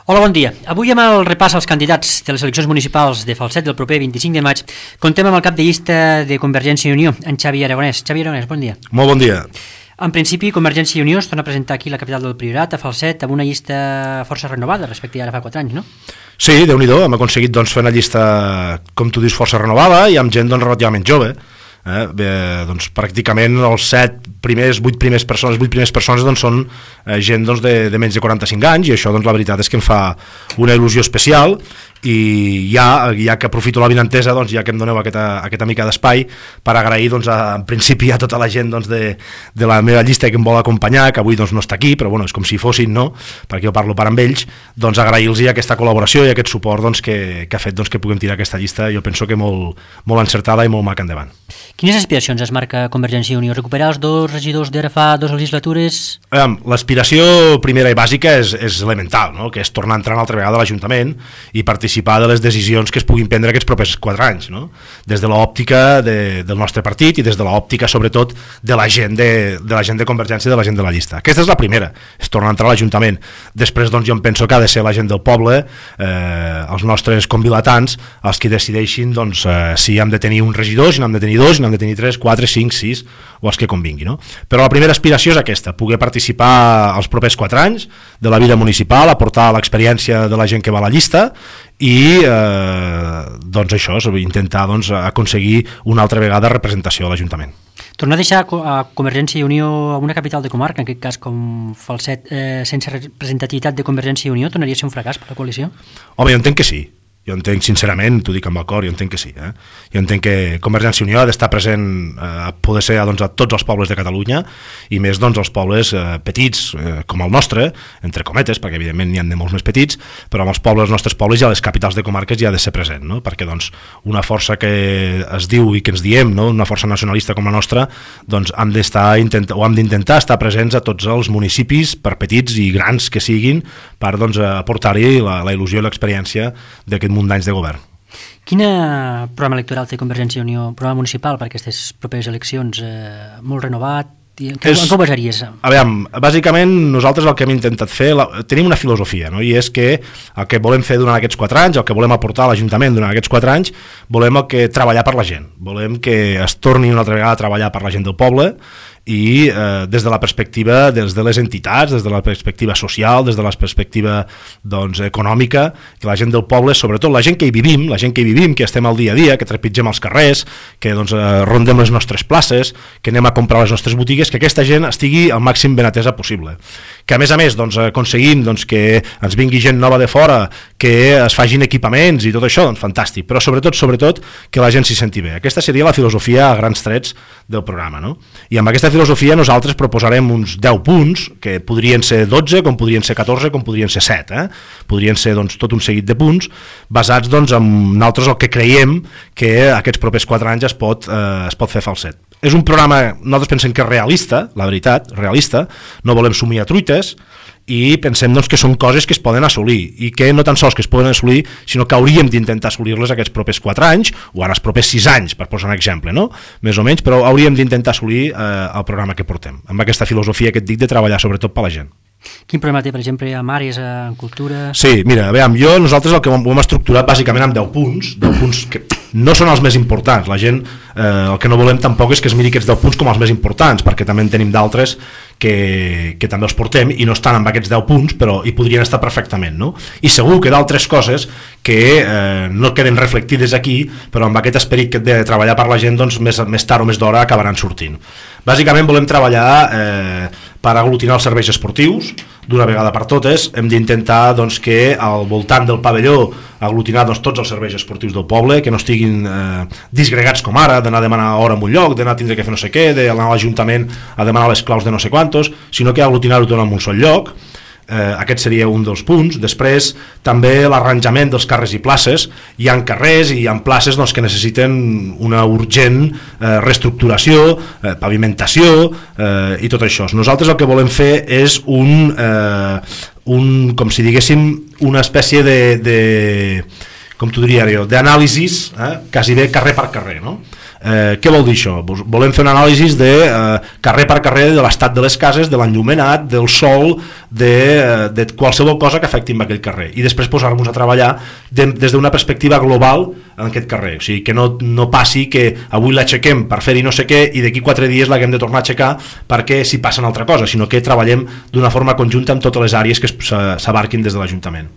Hola, bon dia. Avui amb el repàs als candidats de les eleccions municipals de Falset del proper 25 de maig contem amb el cap de llista de Convergència i Unió, en Xavi Aragonès. Xavi Aragonès, bon dia. Molt bon dia. En principi, Convergència i Unió es torna a presentar aquí a la capital del Priorat, a Falset, amb una llista força renovada respecte a ara fa 4 anys, no? Sí, Déu-n'hi-do, hem aconseguit fer una llista, com tu dius, força renovada i amb gent relativament jove. Doncs, pràcticament els 8 primers persones són gent de menys de 45 anys, i això la veritat és que em fa una il·lusió especial, i ja que aprofito la vinentesa, ja que em doneu aquesta mica d'espai per agrair en principi a tota la gent de la meva llista que em vol acompanyar, que avui no està aquí, però és com si fossin, no? Perquè jo parlo per amb ells, agrair-los aquesta col·laboració i aquest suport que ha fet que puguem tirar aquesta llista, jo penso que molt encertada i molt maca endavant. Quines aspiracions es marca Convergència i Unió? Recuperar els 2 regidors d'ara fa 2 legislatures? L'aspiració primera i bàsica és elemental, no? Que és tornar a entrar una altra vegada a l'Ajuntament i participar de les decisions que es puguin prendre aquests propers 4 anys, no? Des de l'òptica del nostre partit i des de l'òptica, sobretot, de la gent de Convergència i de la gent de la llista. Aquesta és la primera, és tornar a entrar a l'Ajuntament. Després, jo em penso que ha de ser la gent del poble, els nostres convilatants, els que decideixin si hem de tenir un regidor, si n'hem de tenir 2, si n'hem de tenir 3, 4, 5, 6, o els que convingui, no? Però la primera aspiració és aquesta, poder participar els propers 4 anys de la vida municipal, aportar l'experiència de la gent que va a la llista i això, intentar aconseguir una altra vegada representació a l'Ajuntament. Tornar a deixar a Convergència i Unió a una capital de comarca, en aquest cas com Falset, sense representativitat de Convergència i Unió, tornaria a ser un fracàs per la coalició? Home, jo entenc que sí. Jo entenc, sincerament, t'ho dic amb el cor, jo entenc que sí. Jo entenc que Convergència i Unió ha d'estar present a poder ser a tots els pobles de Catalunya, i més els pobles petits com el nostre, entre cometes, perquè evidentment n'hi ha de molts més petits, però amb els nostres pobles i a les capitals de comarques ja ha de ser present, no? Perquè una força que es diu i que ens diem, no? Una força nacionalista com la nostra, hem d'intentar estar presents a tots els municipis, per petits i grans que siguin, per aportar-hi la il·lusió i l'experiència d'aquest munt d'anys de govern. Quin programa electoral té Convergència i Unió, programa municipal per aquestes properes eleccions? Molt renovat? En què ho basaries? A veure, bàsicament nosaltres el que hem intentat fer, tenim una filosofia, no? I és que el que volem fer durant aquests 4 anys, el que volem aportar a l'Ajuntament durant aquests 4 anys, volem treballar per la gent, volem que es torni una altra vegada a treballar per la gent del poble, i des de la perspectiva de les entitats, des de la perspectiva social, des de la perspectiva econòmica, que la gent del poble, sobretot la gent que hi vivim, que estem al dia a dia, que trepitgem els carrers, que rondem les nostres places, que anem a comprar les nostres botigues, que aquesta gent estigui al màxim ben atesa possible. Que a més aconseguim que ens vingui gent nova de fora, que es facin equipaments i tot això, fantàstic, però sobretot que la gent s'hi senti bé. Aquesta seria la filosofia a grans trets del programa, no? I amb aquesta filosofia nosaltres proposarem uns 10 punts, que podrien ser 12, com podrien ser 14, com podrien ser 7, podrien ser tot un seguit de punts, basats en nosaltres el que creiem que aquests propers 4 anys es pot fer Falset. És un programa, nosaltres pensem que és realista, la veritat, realista, no volem somiar truites, i pensem que són coses que es poden assolir, i que no tan sols que es poden assolir, sinó que hauríem d'intentar assolir-les aquests propers 4 anys, o ara els propers 6 anys, per posar un exemple, no? Més o menys, però hauríem d'intentar assolir el programa que portem, amb aquesta filosofia que et dic de treballar sobretot per la gent. Quin problema té, per exemple, amb àrees, en cultura? Sí, mira, nosaltres el que ho hem estructurat bàsicament amb 10 punts que no són els més importants. La gent, el que no volem tampoc és que es miri aquests 10 punts com els més importants, perquè també en tenim d'altres que també els portem i no estan amb aquests 10 punts, però hi podrien estar perfectament, no? I segur que d'altres coses que no queden reflectides aquí, però amb aquest esperit de treballar per la gent, més tard o més d'hora acabaran sortint. Bàsicament volem treballar per aglutinar els serveis esportius d'una vegada per totes. Hem d'intentar que al voltant del pavelló aglutinar tots els serveis esportius del poble, que no estiguin disgregats com ara, d'anar a demanar hora en un lloc, d'anar a tindre que fer no sé què, d'anar a l'Ajuntament a demanar les claus de no sé quantos, sinó que aglutinar-ho tot en un sol lloc. Aquest seria un dels punts. Després també l'arranjament dels carrers i places. Hi ha carrers i hi ha places que necessiten una urgent reestructuració, pavimentació i tot això. Nosaltres el que volem fer és com si diguéssim una espècie de com t'ho diria jo, d'anàlisis, quasi bé carrer per carrer, no? Què vol dir això? Volem fer una anàlisi de carrer per carrer de l'estat de les cases, de l'enllumenat, del sol, de qualsevol cosa que afecti en aquell carrer, i després posar-nos a treballar des d'una perspectiva global en aquest carrer, o sigui, que no passi que avui l'aixequem per fer-hi no sé què i d'aquí 4 dies l'haguem de tornar a aixecar perquè si passa una altra cosa, sinó que treballem d'una forma conjunta amb totes les àrees que s'abarquin des de l'Ajuntament.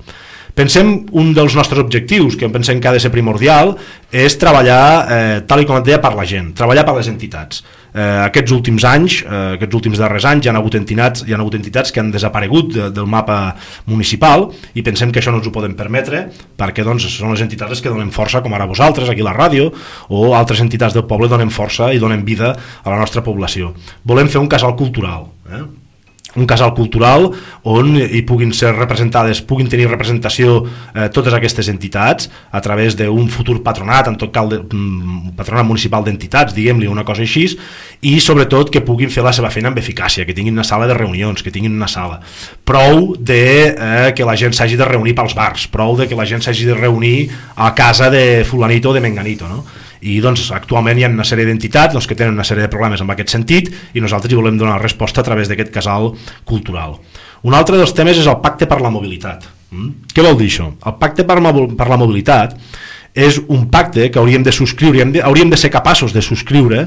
Pensem, un dels nostres objectius, que pensem que ha de ser primordial, és treballar, tal com et deia, per la gent, treballar per les entitats. Aquests últims anys, aquests últims darrers anys, hi ha hagut entitats que han desaparegut del mapa municipal i pensem que això no ens ho podem permetre perquè doncs, són les entitats les que donen força, com ara vosaltres, aquí a la ràdio, o altres entitats del poble donen força i donen vida a la nostra població. Volem fer un casal cultural, un casal cultural on hi puguin ser representades, puguin tenir representació totes aquestes entitats a través d'un futur patronat, en tot cas patronat municipal d'entitats, diguem-li una cosa així, i sobretot que puguin fer la seva feina amb eficàcia, que tinguin una sala de reunions, que tinguin una sala. Prou de que la gent s'hagi de reunir pels bars, prou de que la gent s'hagi de reunir a casa de fulanito o de menganito, no? I doncs actualment hi ha una sèrie d'entitats que tenen una sèrie de problemes en aquest sentit i nosaltres hi volem donar resposta a través d'aquest casal cultural. Un altre dels temes és el pacte per la mobilitat. Què vol dir això? El pacte per la mobilitat és un pacte que hauríem de subscriure, hauríem de ser capaços de subscriure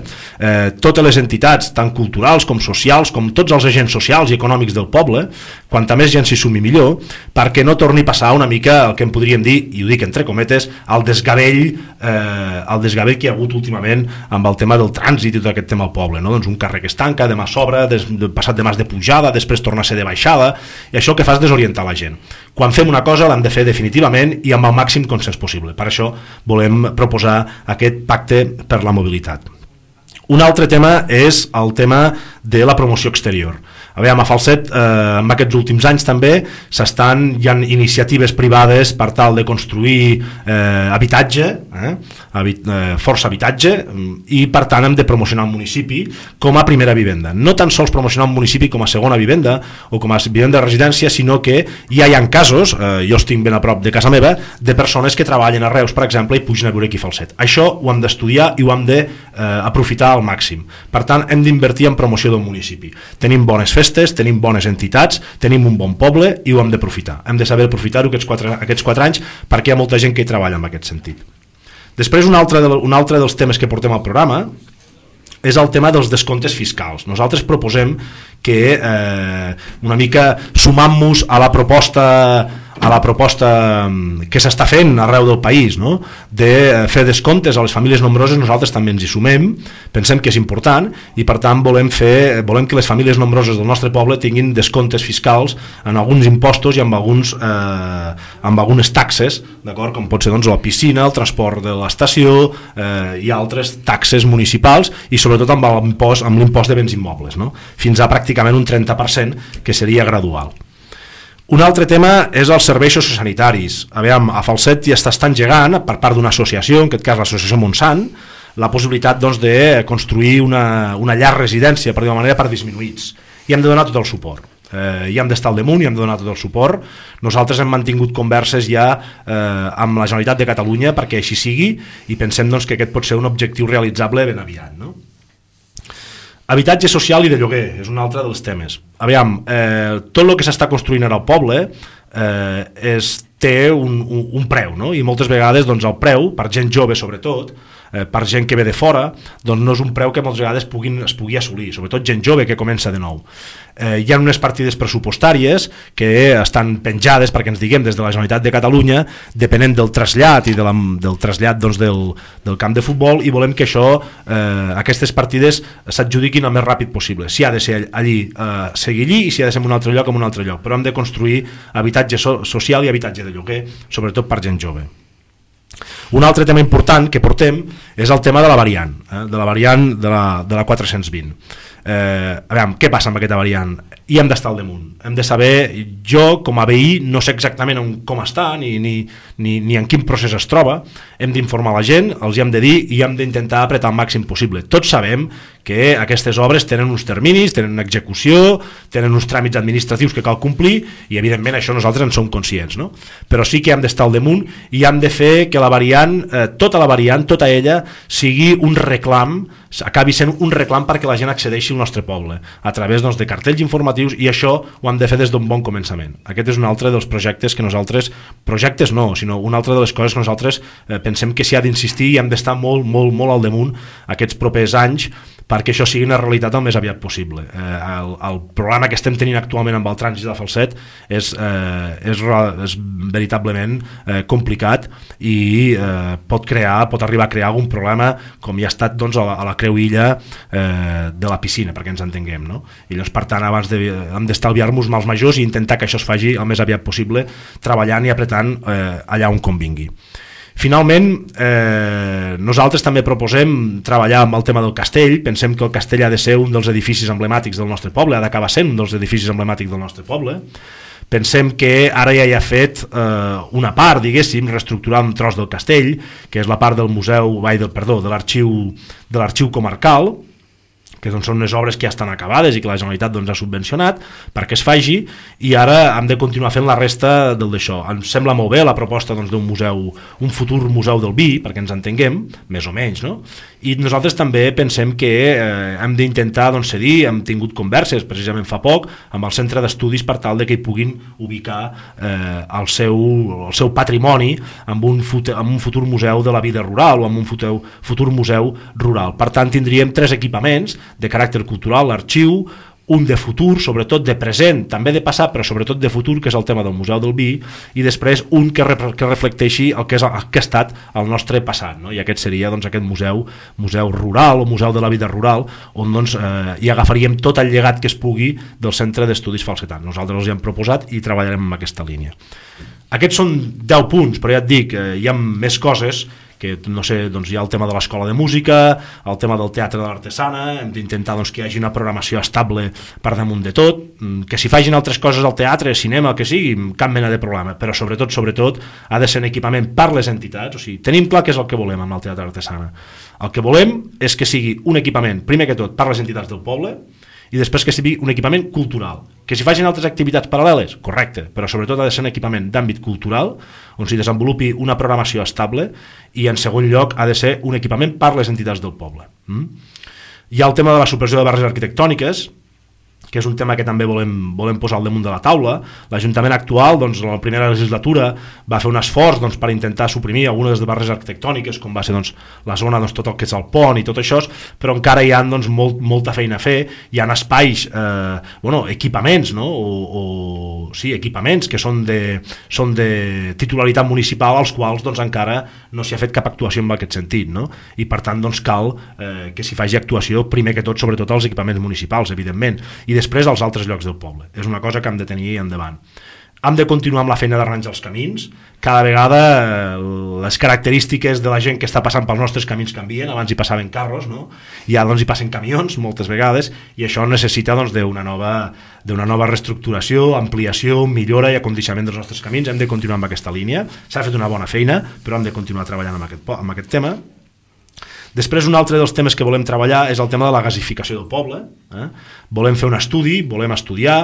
totes les entitats, tant culturals com socials, com tots els agents socials i econòmics del poble, quanta més gent s'hi sumi millor, perquè no torni a passar una mica el que en podríem dir, i ho dic entre cometes, el desgavell que hi ha hagut últimament amb el tema del trànsit i tot aquest tema al poble, no? Doncs un carrer que es tanca, demà s'obre, passat demà és de pujada, després torna a ser de baixada, i això que fa és desorientar la gent. Quan fem una cosa l'hem de fer definitivament i amb el màxim consens possible. Per això volem proposar aquest pacte per la mobilitat. Un altre tema és el tema de la promoció exterior. A Falset, en aquests últims anys també hi ha iniciatives privades per tal de construir habitatge, força habitatge, i per tant hem de promocionar el municipi com a primera vivenda. No tan sols promocionar el municipi com a segona vivenda o com a vivenda de residència, sinó que ja hi ha casos, jo estic ben a prop de casa meva, de persones que treballen a Reus, per exemple, i pugen a viure aquí a Falset. Això ho hem d'estudiar i ho hem d'aprofitar al màxim. Per tant, hem d'invertir en promoció del municipi. Tenim bones festes, tenim bones entitats, tenim un bon poble i ho hem d'aprofitar. Hem de saber aprofitar-ho aquests 4 anys perquè hi ha molta gent que hi treballa en aquest sentit. Després, un altre dels temes que portem al programa és el tema dels descomptes fiscals. Nosaltres proposem que una mica sumant-nos a la proposta que s'està fent arreu del país, no? De fer descomptes a les famílies nombroses, nosaltres també ens hi sumem, pensem que és important i per tant volem que les famílies nombroses del nostre poble tinguin descomptes fiscals en alguns impostos i amb algunes taxes, d'acord? Com pot ser doncs, la piscina, el transport de l'estació i altres taxes municipals i sobretot amb l'impost de béns immobles, no? Fins a pràcticament un 30% que seria gradual. Un altre tema és els serveis sociosanitaris. A Falset ja està engegant, per part d'una associació, en aquest cas l'associació Montsant, la possibilitat doncs, de construir una llar residència, per dir-ho manera, per disminuïts. I hem de donar tot el suport. I hem d'estar al damunt i hem de donar tot el suport. Nosaltres hem mantingut converses ja amb la Generalitat de Catalunya perquè així sigui i pensem doncs, que aquest pot ser un objectiu realitzable ben aviat, no? Habitatge social i de lloguer és un altre dels temes. Tot el que s'està construint ara al poble té un preu, no? I moltes vegades doncs, el preu, per gent jove sobretot, per gent que ve de fora, doncs no és un preu que moltes vegades es pugui assolir, sobretot gent jove que comença de nou. Hi ha unes partides pressupostàries que estan penjades, perquè ens diguem, des de la Generalitat de Catalunya, depenent del trasllat i del trasllat doncs, del camp de futbol, i volem que aquestes partides s'adjudiquin el més ràpid possible. Si ha de ser allí, seguir allí, i si ha de ser en un altre lloc, en un altre lloc. Però hem de construir habitatge social i habitatge de lloguer, sobretot per gent jove. Un altre tema important que portem és el tema de la variant, de la 420. a veure, què passa amb aquesta variant? I hem d'estar al damunt, hem de saber, jo com a veí no sé exactament com està ni en quin procés es troba, hem d'informar la gent, els hi hem de dir i hem d'intentar apretar el màxim possible. Tots sabem que aquestes obres tenen uns terminis, tenen una execució, tenen uns tràmits administratius que cal complir i evidentment això nosaltres en som conscients, no? Però sí que hem d'estar al damunt i hem de fer que la variant, tota ella, sigui un reclam, acabi sent un reclam perquè la gent accedeixi al nostre poble a través de cartells informatius, i això ho hem de fer des d'un bon començament. Aquest és un altre dels projectes que nosaltres, sinó una altra de les coses que nosaltres pensem que s'hi ha d'insistir i hem d'estar molt, molt, molt al damunt aquests propers anys perquè això sigui una realitat el més aviat possible. El problema que estem tenint actualment amb el trànsit de Falset és veritablement complicat i pot arribar a crear algun problema com hi ha estat a la creuilla de la piscina, perquè ens entenguem, no? I llavors, per tant, hem d'estalviar-nos mals majors i intentar que això es faci el més aviat possible, treballant i apretant allà on convingui. Finalment, nosaltres també proposem treballar amb el tema del castell. Pensem que el castell ha de ser un dels edificis emblemàtics del nostre poble, ha d'acabar sent un dels edificis emblemàtics del nostre poble. Pensem que ara ja hi ha fet una part, diguéssim, reestructurar un tros del castell, que és la part del museu, de l'arxiu comarcal, que són unes obres que ja estan acabades i que la Generalitat ha subvencionat perquè es faci, i ara hem de continuar fent la resta d'això. Ens sembla molt bé la proposta d'un museu, un futur museu del vi, perquè ens entenguem, més o menys, no? I nosaltres també pensem que hem d'intentar cedir, hem tingut converses precisament fa poc amb el centre d'estudis per tal de que hi puguin ubicar el seu patrimoni amb un futur museu de la vida rural o amb un futur museu rural. Per tant, tindríem 3 equipaments de caràcter cultural, l'arxiu, un de futur, sobretot de present, també de passat, però sobretot de futur, que és el tema del Museu del Vi, i després un que reflecteixi el que ha estat el nostre passat, no? I aquest seria aquest museu rural o museu de la vida rural, on hi agafaríem tot el llegat que es pugui del Centre d'Estudis Falsetans. Nosaltres els hi hem proposat i treballarem en aquesta línia. Aquests són 10 punts, però ja et dic, hi ha més coses que no sé, hi ha el tema de l'escola de música, el tema del teatre de l'artesana, hem d'intentar que hi hagi una programació estable per damunt de tot, que s'hi facin altres coses al teatre, cinema, el que sigui, cap mena de problema, però sobretot ha de ser un equipament per les entitats. O sigui, tenim clar què és el que volem amb el teatre de l'artesana. El que volem és que sigui un equipament, primer que tot, per les entitats del poble, i després que sigui un equipament cultural. Que s'hi facin altres activitats paral·leles, correcte, però sobretot ha de ser un equipament d'àmbit cultural on s'hi desenvolupi una programació estable, i en segon lloc ha de ser un equipament per les entitats del poble. Hi ha el tema de la supressió de barreres arquitectòniques, que és un tema que també volem posar al damunt de la taula. L'Ajuntament actual, en la primera legislatura, va fer un esforç per intentar suprimir algunes de les barreres arquitectòniques, com va ser la zona, tot el que és el pont i tot això, però encara hi ha molta feina a fer. Hi ha espais, equipaments, no? Equipaments que són de titularitat municipal, als quals encara no s'hi ha fet cap actuació en aquest sentit, no? I per tant cal que s'hi faci actuació, primer que tot, sobretot als equipaments municipals, evidentment, i després als altres llocs del poble. És una cosa que hem de tenir endavant. Hem de continuar amb la feina d'arranjar els camins. Cada vegada les característiques de la gent que està passant pels nostres camins canvien. Abans hi passaven carros, no? I ara hi passen camions moltes vegades, i això necessita d'una nova reestructuració, ampliació, millora i acondicionament dels nostres camins. Hem de continuar amb aquesta línia. S'ha fet una bona feina, però hem de continuar treballant amb aquest tema. Després, un altre dels temes que volem treballar és el tema de la gasificació del poble. Volem fer un estudi, volem estudiar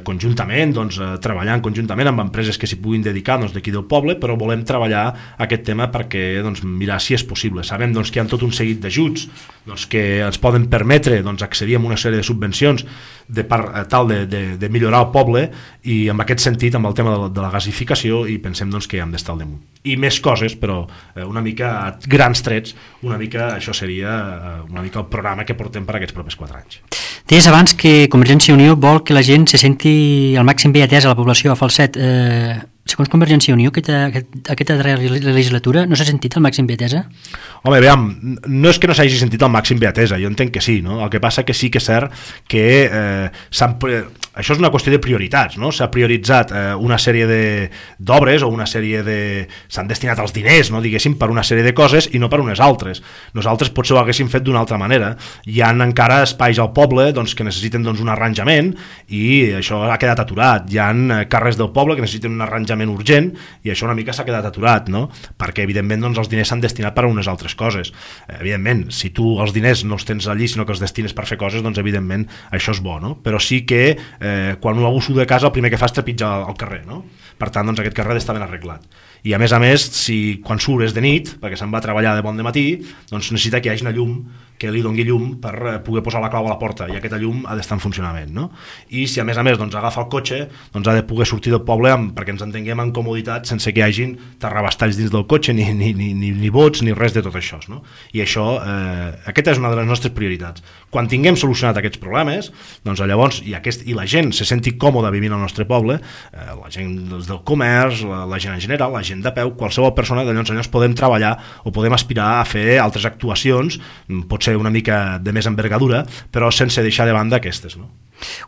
conjuntament, treballant conjuntament amb empreses que s'hi puguin dedicar d'aquí del poble, però volem treballar aquest tema perquè mirar si és possible. Sabem que hi ha tot un seguit d'ajuts que ens poden permetre accedir a una sèrie de subvencions per tal de millorar el poble, i en aquest sentit, amb el tema de la gasificació, i pensem que hem d'estar al damunt. I més coses, però una mica a grans trets, una mica això seria una mica el programa que portem per aquests propers 4 anys. Deies abans que Convergència i Unió vol que la gent se senti al màxim bé atesa a la població a Falset. Segons Convergència i Unió, aquesta darrera legislatura no s'ha sentit al màxim bé atesa? Home, veiem, no és que no s'hagi sentit al màxim bé atesa, jo entenc que sí, no? El que passa que sí que és cert que això és una qüestió de prioritats, no? S'ha prioritzat una sèrie d'obres o una sèrie de... s'han destinat els diners, no? Diguéssim, per una sèrie de coses i no per unes altres. Nosaltres potser ho haguéssim fet d'una altra manera. Hi ha encara espais al poble doncs, que necessiten doncs, un arranjament i això ha quedat aturat. Hi ha carrers del poble que necessiten un arranjament urgent i això una mica s'ha quedat aturat, no? Perquè evidentment doncs, els diners s'han destinat per a unes altres coses. Evidentment, si tu els diners no els tens allí sinó que els destines per fer coses, doncs evidentment això és bo, no? Però sí que quan un abuso de casa el primer que fa és trepitjar al carrer, no? Per tant, doncs aquest carrer està ben arreglat. I a més, si quan surt és de nit, perquè se'n va a treballar de bon de matí, doncs necessita que hi hagi una llum que li doni llum per poder posar la clau a la porta, i aquesta llum ha d'estar en funcionament, no? I si a més doncs, agafa el cotxe, doncs ha de poder sortir del poble perquè ens entenguem en comoditat sense que hi hagin terrabastalls dins del cotxe, ni bots, ni res de tot això, no? I això, aquesta és una de les nostres prioritats. Quan tinguem solucionat aquests problemes, doncs llavors, i la gent se senti còmoda vivint al nostre poble, la gent del comerç, la gent en general, la gent de peu, qualsevol persona, llavors podem treballar o podem aspirar a fer altres actuacions, potser una mica de més envergadura, però sense deixar de banda aquestes, no?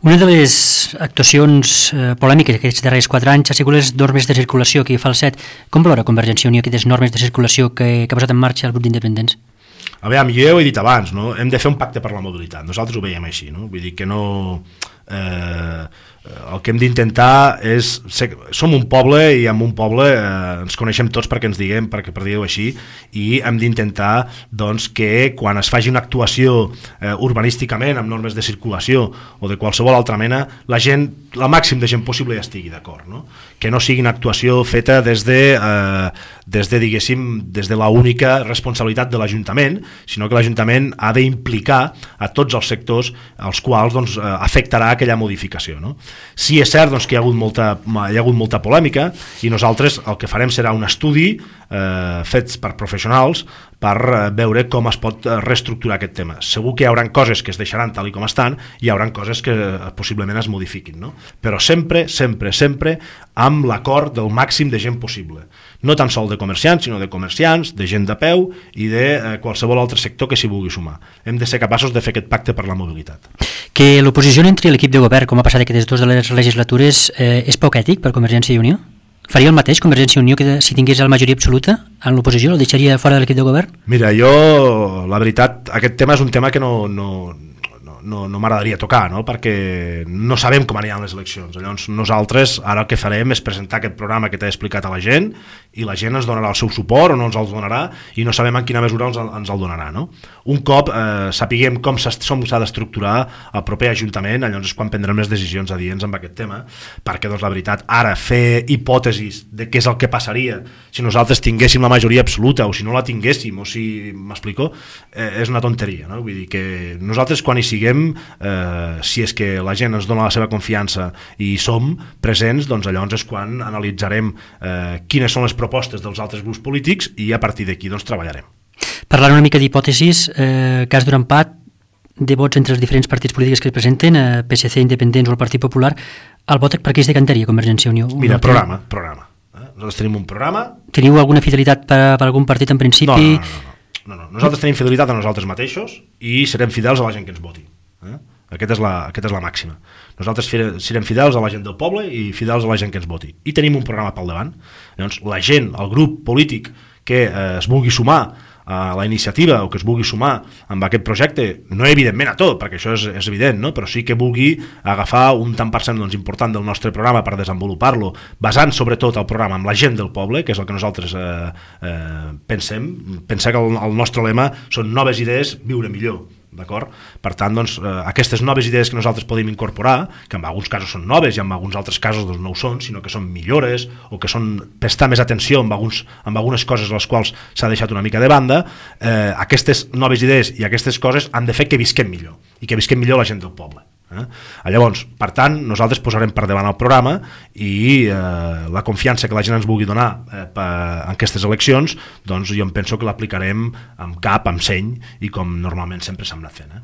Una de les actuacions polèmiques aquests darrers 4 anys ha sigut les normes de circulació que fa el CET. Com valora Convergència i Unió aquestes normes de circulació que ha posat en marxa el grup d'independents? A veure, jo ho he dit abans, no? Hem de fer un pacte per la mobilitat. Nosaltres ho veiem així, no? Vull dir que no... el que hem d'intentar és... Som un poble i en un poble ens coneixem tots perquè ens diguem, per dir-ho així, i hem d'intentar doncs, que quan es faci una actuació urbanísticament amb normes de circulació o de qualsevol altra mena, la gent, el màxim de gent possible ja estigui d'acord, no? Que no sigui una actuació feta des de diguéssim, des de l'única responsabilitat de l'Ajuntament, sinó que l'Ajuntament ha d'implicar a tots els sectors als quals doncs, afectarà aquella modificació, no? Sí, és cert doncs, que hi ha hagut molta polèmica i nosaltres el que farem serà un estudi fets per professionals per veure com es pot reestructurar aquest tema. Segur que hi haurà coses que es deixaran tal i com estan i hi haurà coses que possiblement es modifiquin, no? Però sempre amb l'acord del màxim de gent possible. No tan sol de comerciants, sinó de comerciants, de gent de peu i de qualsevol altre sector que s'hi vulgui sumar. Hem de ser capaços de fer aquest pacte per la mobilitat. Que l'oposició entre l'equip de govern, com ha passat aquestes dues de les legislatures, és poc ètic per Convergència i Unió? Faria el mateix Convergència i Unió que si tingués la majoria absoluta en l'oposició? El deixaria fora de l'equip de govern? Mira, jo, la veritat, aquest tema és un tema que no m'agradaria tocar, no? Perquè no sabem com aniran les eleccions. Llavors nosaltres ara el que farem és presentar aquest programa que t'he explicat a la gent i la gent ens donarà el seu suport o no ens el donarà i no sabem en quina mesura ens el donarà, no? Un cop sapiguem com s'ha d'estructurar el proper Ajuntament, llavors és quan prendrem les decisions adients amb aquest tema, perquè doncs la veritat, ara fer hipòtesis de què és el que passaria si nosaltres tinguéssim la majoria absoluta o si no la tinguéssim, o si m'explico, és una tonteria, no? Vull dir que nosaltres quan hi siguem, si és que la gent ens dona la seva confiança i som presents, doncs llavors és quan analitzarem quines són les propostes dels altres grups polítics i a partir d'aquí doncs treballarem. Parlant una mica d'hipòtesis, cas d'un empat de vots entre els diferents partits polítics que es presenten, PSC, Independents o el Partit Popular, el vot per què es decantaria Convergència i Unió? Mira, programa. Nosaltres tenim un programa. Teniu alguna fidelitat per algun partit en principi? No. Nosaltres tenim fidelitat a nosaltres mateixos i serem fidels a la gent que ens voti. Aquesta és la màxima. Nosaltres serem fidels a la gent del poble i fidels a la gent que ens voti. I tenim un programa pel davant. Llavors, la gent, el grup polític que es vulgui sumar a la iniciativa o que es vulgui sumar amb aquest projecte, no evidentment a tot, perquè això és evident, no? Però sí que vulgui agafar un tant per cent doncs, important del nostre programa per desenvolupar-lo, basant sobretot el programa amb la gent del poble, que és el que nosaltres pensem. Pensar que el nostre lema són noves idees, viure millor. D'acord? Per tant, doncs, aquestes noves idees que nosaltres podem incorporar, que en alguns casos són noves i en alguns altres casos doncs, no ho són, sinó que són millores o que són prestar més atenció amb algunes coses a les quals s'ha deixat una mica de banda, aquestes noves idees i aquestes coses han de fer que visquem millor i que visquem millor la gent del poble. Llavors, per tant, nosaltres posarem per davant el programa i la confiança que la gent ens vulgui donar en aquestes eleccions, doncs jo em penso que l'aplicarem amb cap, amb seny i com normalment sempre s'ha anat fent.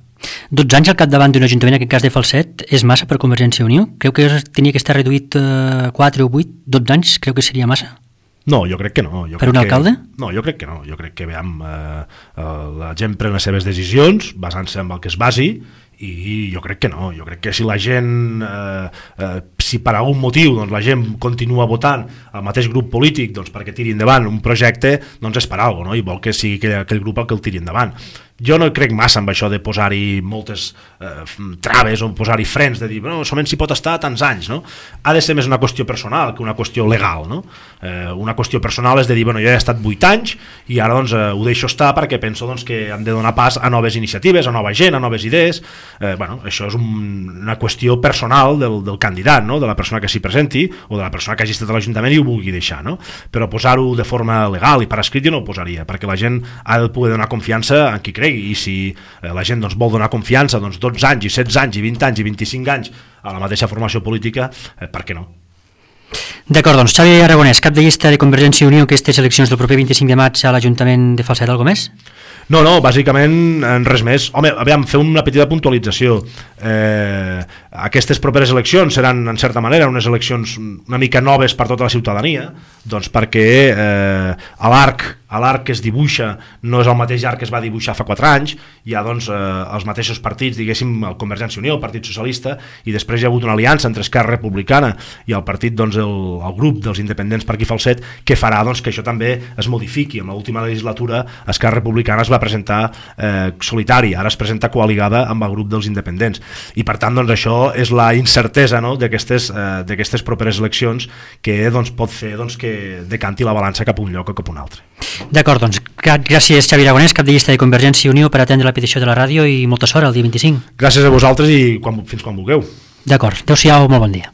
12 anys al capdavant d'un ajuntament, en aquest cas de Falset, és massa per Convergència i Unió? Creu que tenia que estar reduït 4 o 8? 12 anys creu que seria massa? No, jo crec que no. Per un alcalde? No, jo crec que no. Jo crec que la gent pren les seves decisions basant-se en el que es basi i jo crec que no, jo crec que si la gent si per algun motiu doncs, la gent continua votant el mateix grup polític doncs, perquè tiri endavant un projecte, doncs és per alguna cosa, no? I vol que sigui aquell grup el que el tiri endavant. Jo no crec massa amb això de posar-hi moltes traves o posar-hi frens, de dir, no, solament s'hi pot estar tants anys, no? Ha de ser més una qüestió personal que una qüestió legal, no? Una qüestió personal és de dir, bueno, jo he estat 8 anys i ara doncs, ho deixo estar perquè penso doncs, que hem de donar pas a noves iniciatives, a nova gent, a noves idees. Bueno, això és una qüestió personal del candidat, no? De la persona que s'hi presenti o de la persona que hagi estat a l'Ajuntament i ho vulgui deixar, no? Però posar-ho de forma legal i per escrit jo no ho posaria, perquè la gent ha de poder donar confiança en qui cregui, i si la gent doncs, vol donar confiança doncs, 12 anys i 16 anys i 20 anys i 25 anys a la mateixa formació política, per què no? D'acord, doncs Xavi Aragonès, cap de llista de Convergència i Unió, aquestes eleccions del proper 25 de maig a l'Ajuntament de Falset, alguna més? No, bàsicament res més. Home, aviam, fer una petita puntualització. Aquestes properes eleccions seran, en certa manera, unes eleccions una mica noves per tota la ciutadania, doncs perquè l'arc que es dibuixa no és el mateix arc que es va dibuixar fa 4 anys, hi ha doncs, els mateixos partits, diguéssim, el Convergència i Unió, el Partit Socialista, i després hi ha hagut una aliança entre Esquerra Republicana i el partit, doncs, el grup dels independents per aquí Falset, que farà doncs, que això també es modifiqui. En l'última legislatura Esquerra Republicana es va presentar solitari, ara es presenta coaligada amb el grup dels independents, i per tant doncs, això és la incertesa, no? d'aquestes properes eleccions que doncs, pot fer doncs, que decanti la balança cap a un lloc o cap a un altre. D'acord, doncs gràcies Xavi Aragonès, cap de llista de Convergència i Unió, per atendre la petició de la ràdio, i molta sort el dia 25. Gràcies a vosaltres i fins quan vulgueu. D'acord, adeu-siau, molt bon dia.